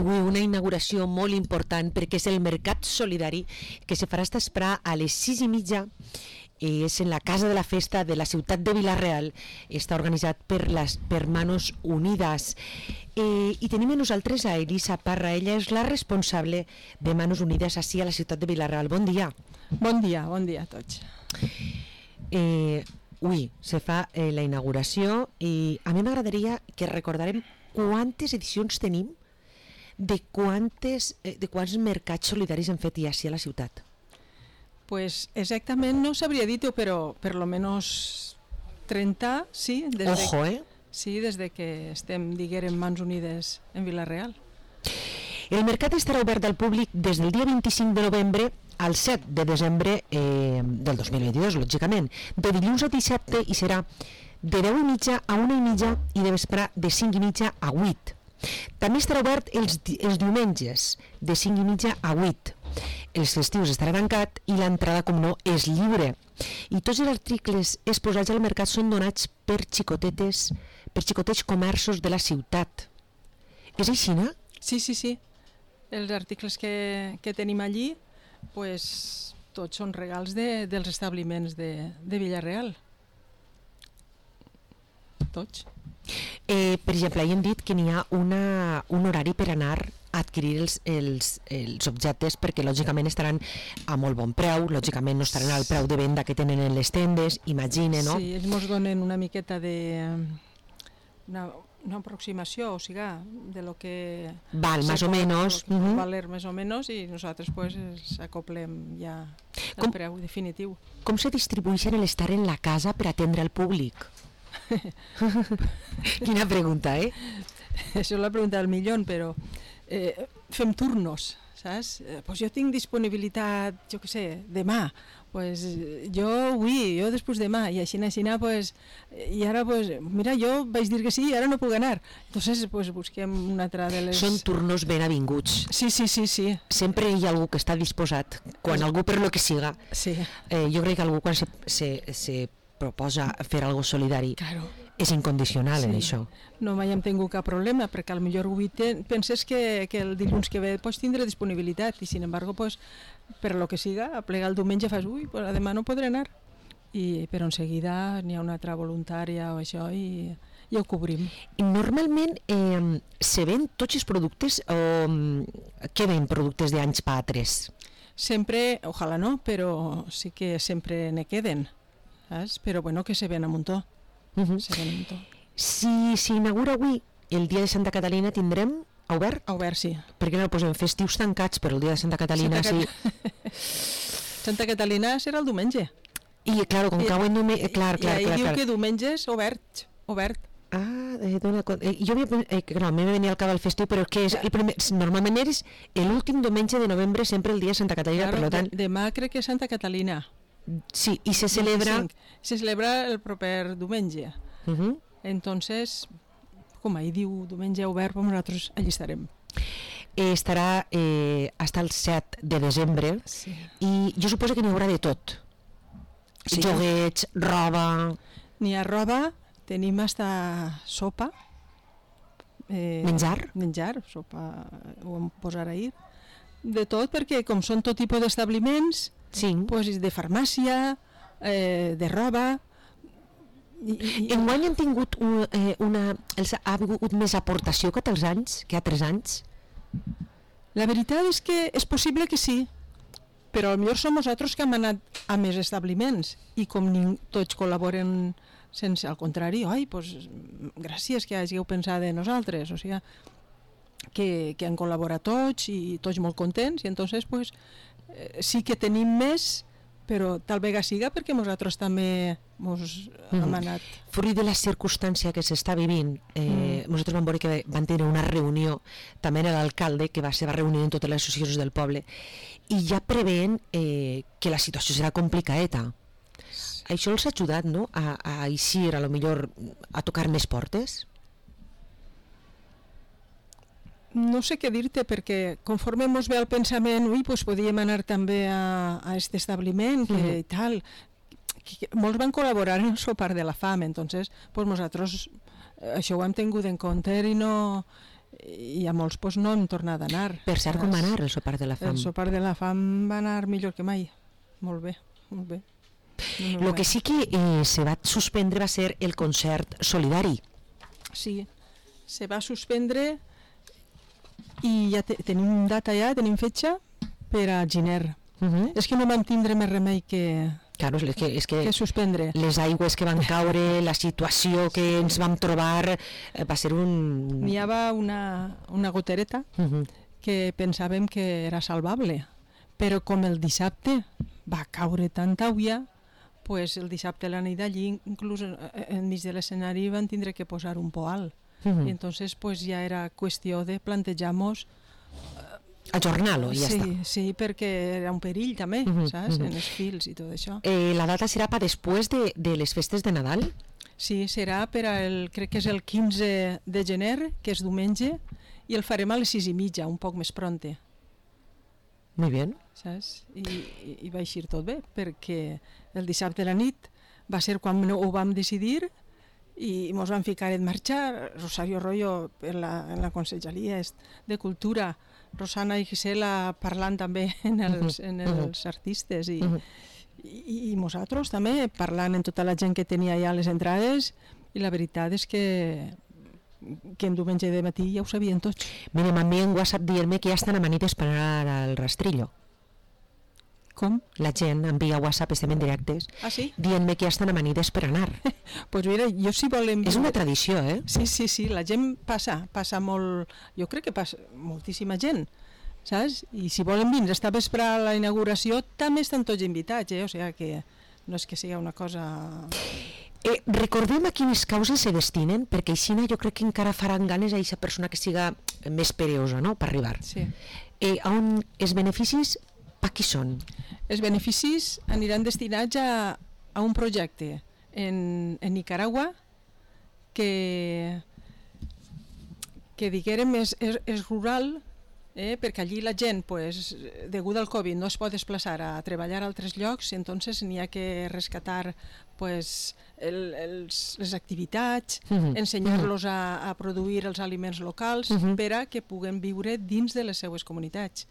avui una inauguració molt important perquè és el Mercat Solidari que se farà esta vesprada a les 6:30. És en la Casa de la Festa de la ciutat de Vila-real. Està organitzat per Manos Unides. I tenim a nosaltres a Elisa Parra. Ella és la responsable de Manos Unides ací a la ciutat de Vila-real. Bon dia. Bon dia a tots. Avui se fa la inauguració i a mi m'agradaria que recordarem quantes edicions tenim de quants mercats solidaris hem fet ja ací a la ciutat. Pues exactament no sabria dir-ho, però per lo menos 30, sí. Ojo, Sí, des de que estem, diguem, Mans Unides en Vila-real. El mercat estarà obert al públic des del dia 25 de novembre al 7 de desembre del 2022, lògicament, de dilluns a dissabte, i serà de 10:30 a 1:30 i de vespre de 5:30 a 8. També estarà obert els diumenges de 5:30 a 8. Els festius estarà tancat i l'entrada, com no, és lliure. I tots els articles exposats al mercat són donats per xicotets comerços de la ciutat. És així, no? Sí. Els articles que tenim allí, pues, tots són regals dels establiments de Vila-real. Tots. Per exemple, hem dit que n'hi ha un horari per anar a adquirir els objectes, perquè lògicament estaran a molt bon preu, lògicament no estaran al preu de venda que tenen en les tendes, imagine, no? Sí, ells ens donen una miqueta una aproximació, o sigui, de lo que val, més o menys, valer més o menys, i nosaltres pues els acoplem ja el preu definitiu. Com se distribueixen l'estar en la casa per atendre al públic? Quina pregunta, Això és la pregunta del milió, però fem turnos, saps? Pues jo tinc disponibilitat, jo què sé, demà, pues jo avui, jo després demà, i així, pues, i ara, pues, mira, jo vaig dir que sí i ara no puc anar. Entonces, pues, busquem una altra de les... Són turnos ben avinguts. Sí. Sempre hi ha algú que està disposat, quan algú per lo que siga. Sí. Jo crec que algú quan se proposa fer algo solidari, claro, és incondicional en això. No mai hem tingut cap problema, perquè al millor avui penses que el dilluns que ve pots tindre disponibilitat, i sin embargo, pues, per lo que siga, a plegar el diumenge fas, pues, demà no podré anar, però en seguida n'hi ha una altra voluntària o això, i ho cobrim. I normalment se ven tots els productes o què ven productes d'anys pa altres? Sempre, ojalà no, però sí que sempre ne queden, saps? Però bueno, que se ven a muntó. Si s'inaugura avui el dia de Santa Catalina, tindrem obert? Obert, sí. Perquè no posem festius tancats, però el dia de Santa Catalina sí. Santa Catalina serà el diumenge. I clar, com cauen diumenge... Clar. I ahir diu que diumenge és obert. Jo a mi me venia al cap el festiu, però que és normalment és l'últim diumenge de novembre, sempre el dia de Santa Catalina, per tant... Demà crec que és Santa Catalina. Sí, i se celebra... Se celebra el proper diumenge. Entonces, com ahir diu diumenge obert, nosaltres allí estarem. Estarà fins al 7 de desembre, sí. I jo suposo que n'hi haurà de tot. Sí. Joguets, roba... N'hi ha roba, tenim hasta sopa. Menjar, sopa, ho vam posar ahir. De tot, perquè com són tot tipus d'establiments, sí. Pues, de farmàcia, de roba... Enguany han tingut ha hagut més aportació que altres anys? La veritat és que és possible que sí, però potser som nosaltres que hem anat a més establiments i com tots col·laboren sense, al contrari, pues, gràcies que hàgiu pensat en nosaltres, o sigui que han col·laborat tots i tots molt contents, i entonces pues, sí que tenim més, però tal vegada siga perquè nosaltres també hem anat. Fruit de la circumstància que s'està vivint, nosaltres vam veure que van tenir una reunió també amb l'alcalde, que va ser reunir en totes les associacions del poble, i ja preveien que la situació serà complicadeta. Això els ha ajudat, no?, a eixir, a lo millor, a tocar més portes? No sé què dir-te, perquè conforme ens ve el pensament, pues podíem anar també a aquest establiment i tal, que molts van col·laborar en el sopar de la fam, entonces pues nosaltres això ho hem tingut en compte i no i a molts pues, no hem tornat a anar. Per cert, com va anar el sopar de la fam? El sopar de la fam va anar millor que mai. Molt bé, molt bé. El que sí que se va suspendre va ser el concert solidari. Sí, se va suspendre i ja tenim data ja, tenim fetge per a gener. És que no vam tindre més remei que Claro, és que suspendre. Les aigües que van caure, la situació que ens vam trobar, va ser un... N'hi havia una gotereta que pensàvem que era salvable, però com el dissabte va caure tanta aigua, pues el dissabte a la nit d'allí, inclús enmig de l'escenari, van tindre que posar un poal. I entonces pues ja era qüestió de plantejar-nos ajornar-lo i ja està. Sí, perquè era un perill també, saps? En els fils i tot això. La data serà per després de les festes de Nadal? Sí, serà per crec que és el 15 de gener, que és diumenge, i el farem a les 6:30, un poc més pronte. Muy bien. Saps? I va eixir tot bé, perquè el dissabte a la nit va ser quan ho vam decidir i ens vam ficar en marxa. Rosario Royo en la Conselleria de Cultura, Rosana i Gisela parlant també en els artistes i nosaltres també parlant amb tota la gent que tenia ja les entrades, i la veritat és que en diumenge de matí ja ho sabien tots. Mira, m'envien WhatsApp dient-me que ja estan amanides per anar al rastrillo. Com? La gent envia WhatsApp, estem en directes, dient-me que ja estan amanides per anar. Pues mira, jo si volem... És una tradició, eh? Sí, la gent passa molt... Jo crec que passa moltíssima gent, saps? I si volen vindre esta vespre a la inauguració, també estan tots invitats, O sigui que no és que sigui una cosa... Recordem a quines causes se destinen, perquè així jo crec que encara faran ganes a aquesta persona que siga més pereosa, no?, per arribar. Sí. On els beneficis, per qui són? Els beneficis aniran destinats a un projecte en Nicaragua que diguérem és rural, perquè allí la gent, degut al Covid, no es pot desplaçar a treballar a altres llocs, entonces n'hi ha que rescatar les activitats, ensenyar-los a produir els aliments locals per a que puguen viure dins de les seues comunitats.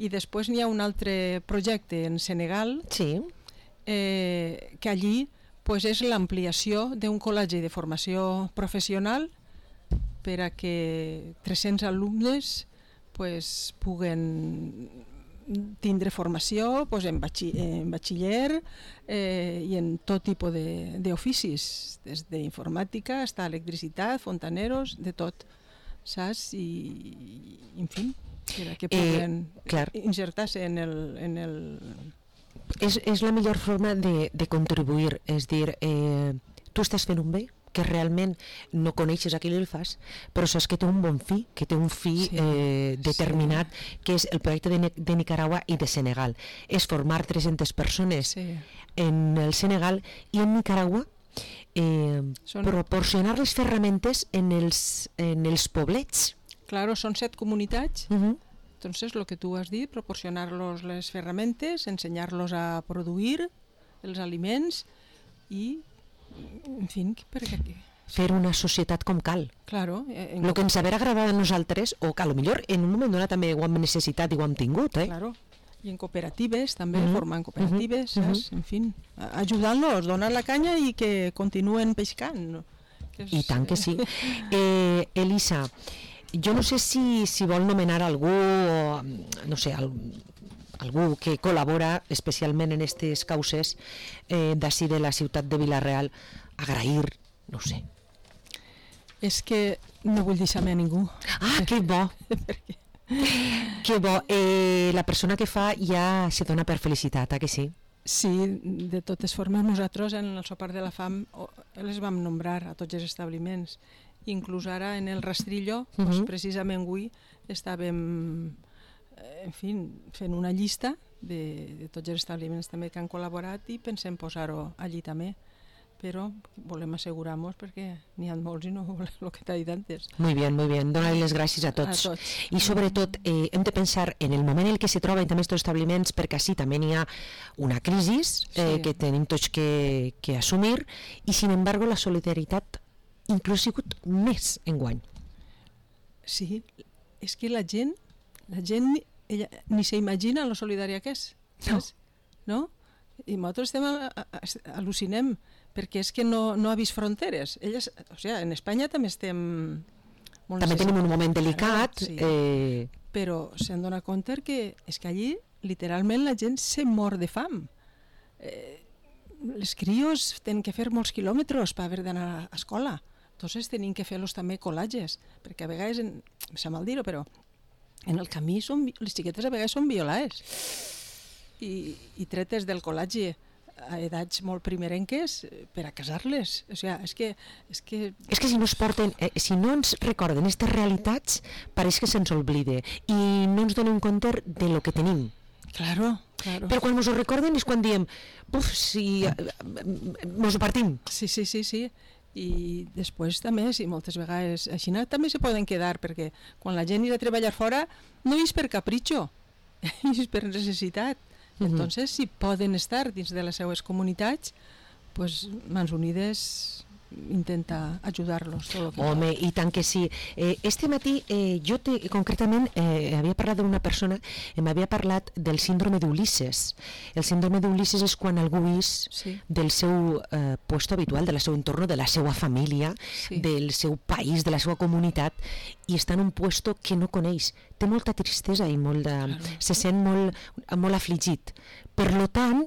I després n'hi ha un altre projecte en Senegal, que allí és l'ampliació d'un col·legi de formació professional per a que 300 alumnes puguen tindre formació en batxiller i en tot tipus d'oficis, des d'informàtica fins a electricitat, fontaneros, de tot, saps? I, en fi, que puguen insertar-se en el... És la millor forma de contribuir, és dir, tu estàs fent un bé que realment no coneixes a qui el fas, però saps que té un bon fi, que té un fi determinat, que és el projecte de Nicaragua i de Senegal. És formar 300 persones en el Senegal i en Nicaragua proporcionar les ferramentes en els poblets. Claro, són 7 comunitats. Entonces, lo que tú has dit, proporcionar-los les ferramentes, ensenyar-los a produir els aliments i en fi, perquè... Fer una societat com cal. Claro. El que ens haver agradat a nosaltres, o que potser en un moment donat també ho hem necessitat i ho hem tingut, Claro. I en cooperatives, també, formant cooperatives, saps? En fi, ajudant-los, donar la canya i que continuen pescant. I tant que sí. Elisa, jo no sé si vol nomenar algú, no sé, algú que col·labora especialment en aquestes causes d'ací de la ciutat de Vila-real, agrair, no sé. És que no vull deixar-me a ningú. Ah, que bo! Que bo. La persona que fa ja se dona per felicitat, que sí? Sí, de totes formes nosaltres en el sopar de la fam les vam nombrar a tots els establiments. Inclús ara en el rastrillo, precisament avui estàvem fent una llista de tots els establiments també que han col·laborat i pensem posar-ho allí també, però volem assegurar-nos perquè n'hi ha molts i no el que t'ha dit antes. Muy bien, donar les gràcies a tots. I sobretot hem de pensar en el moment en què se troben també aquests establiments, perquè així també n'hi ha una crisi que tenim tots que assumir i sin embargo la solidaritat inclús ha sigut més enguany. Sí, és que la gent ella, ni s'imagina lo solidària que és, saps? No? I nosaltres al·lucinem, perquè és que no ha vist fronteres. Elles, o sigui, en Espanya també estem molt També tenim un moment delicat. Sí. Però s'han donat compte que és que allí literalment la gent se mor de fam. Les crios tenen que fer molts quilòmetres per haver d'anar a escola. Entonces tenim que fer-los també colatges, perquè a vegades, em sap mal dir-ho, però en el camí les xiquetes a vegades són violades i tretes del colatge a edats molt primerenques per a casar-les. O sigui, és que si no es porten, si no ens recorden aquestes realitats, pareix que se'ns oblide i no ens donem compte de lo que tenim. Claro. Però quan ens ho recorden és quan diem, si ens ho partim. Sí. I després també, si moltes vegades així també se poden quedar, perquè quan la gent irà a treballar fora no és per capritxo, és per necessitat. Entonces, si poden estar dins de les seues comunitats, pues Mans Unides intenta ajudar-los tot el que Home, i tant que sí. Este matí jo concretament havia parlat d'una persona, m'havia parlat del síndrome d'Ulisses. El síndrome d'Ulisses és quan algú és del seu puesto habitual, del seu entorn, de la seva família, del seu país, de la seva comunitat, i està en un puesto que no coneix. Té molta tristesa i se sent molt afligit. Per tant,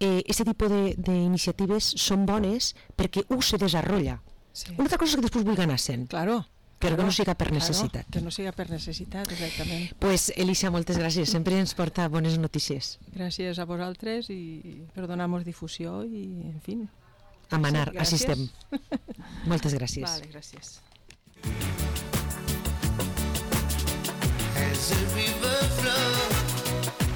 aquest tipus d'iniciatives són bones perquè se desenvolupa. Una altra cosa és que després vulgui anar sent. Claro. Però que no siga per necessitat. Que no siga per necessitat, exactament. Pues, Elisa, moltes gràcies. Sempre ens porta bones notícies. Gràcies a vosaltres i per donar-nos difusió i, en fi. A manar, així estem. Moltes gràcies. Vale, gràcies.